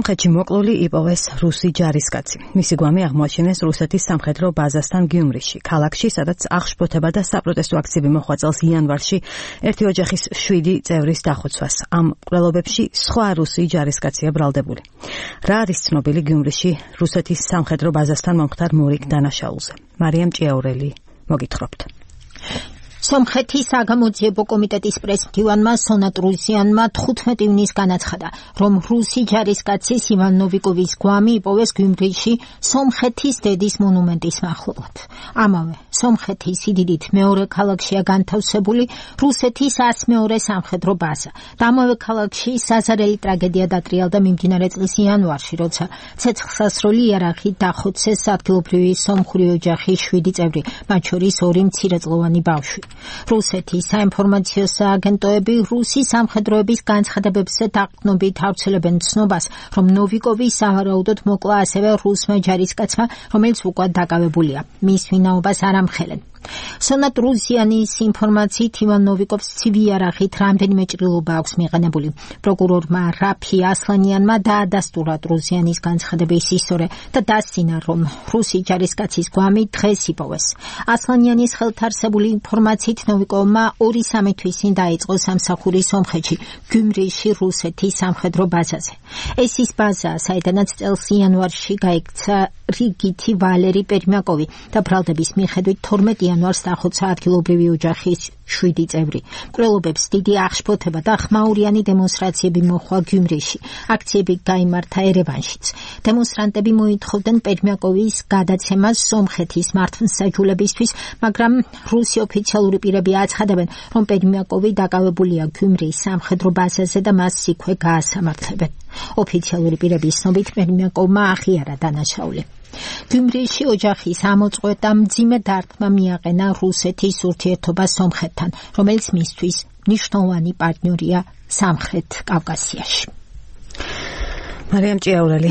სომხეთში მოკლული იპოვეს რუსი ჯარისკაცი. მისი გვამი აღმოაჩინეს რუსეთის სამხედრო ბაზასთან გიუმრიში, ქალაქში, სადაც აღშფოთება და საპროტესტო აქციები მოხდა წელს იანვარში ერთი ოჯახის 7 წევრის დახოცვას. ამ მკვლელობებში სხვა რუსი ჯარისკაცია ბრალდებული. რა არის ცნობილი გიუმრიში რუსეთის სამხედრო ბაზასთან მომხდარ მორიგ დანაშაულზე? მარიამ ჭიაურელი მოგითხრობთ. სომხეთის საგამოძიებო კომიტეტის პრესმდივანმა სონატ რუსიანმა 15 ივნისს განაცხადა, რომ რუსი ჯარისკაცის ივან ნოვიკოვის გვამი იპოვეს გიუმრიში სომხეთის დედის მონუმენტის მახლობლად. ამავე სომხეთის სიდიდით მეორე ქალაქშია განთავსებული რუსეთის 102 სამხედრო ბაზა. და ამავე ქალაქში საზარელი ტრაგედია დატრიალდა მიმდინარე წლის იანვარში, როცა ცეცხლსასროლი იარაღით დახოცეს ადგილობრივი სომხური ოჯახის 7 წევრი, მათ შორის 2 მცირეწლოვანი ბავშვი. რუსეთის საინფორმაციო სააგენტოები რუსი სამხედროების განცხადებებზე დაყრდნობით ავრცელებენ ცნობას, რომ ნოვიკოვი სავარაუდოდ მოკლა ასევე რუსმა ჯარისკაცმა, რომელიც უკვე დაკავებულია. მის ვინაობას არ ამხელენ. სონატ რუსიანის ინფორმაციით ივან ნოვიკოვს ცივი იარაღით რამდენიმე ჭრილობა აქვს მიყენებული. პროკურორმა რაფი ასლანიანმა დაადასტურა რუსიანის განცხადების ისტორია და დასცინა, რომ რუსი ჯარისკაცის გვამი დღეს იპოვეს. ასლანიანის ხელთ არსებული ინფორმაციით ნოვიკოვმა 2-3 თვის წინ დაიწყო სამსახური სომხეთში, გიუმრიში რუსეთის სამხედრო ბაზაზე. ეს ის ბაზა, საიდანაც წელს იანვარში გაიქცა რიგითი ვალერი პერმიაკოვი და ბრალდების მიხედვით 12 იანვარს დახოცა ადგილობრივი ოჯახის 7 წევრი. მკვლელობებს დიდი აღშფოთება და ხმაურიანი დემონსტრაციები მოჰყვა გიუმრიში. აქციები გაიმართა ერევანშიც. დემონსტრანტები მოითხოვდნენ პერმიაკოვის გადაცემას სომხეთის მართლმსაჯულებისთვის, მაგრამ რუსი ოფიციალური პირები აცხადებენ, რომ პერმიაკოვი დაკავებულია გიუმრის სამხედრო ბაზაზე და მას იქვე გაასამართლებენ. ოფიციალური პირების ცნობით პერმიაკოვმა აღიარა დანაშაული. გიუმრიში ოჯახის ამოწყვეტა მძიმე დარტყმა მიაყენა რუსეთის ურთიერთობა სომხეთთან, რომელიც მისთვის მნიშვნელოვანი პარტნიორია სამხრეთ კავკასიაში. მარიამ ჭიაურელი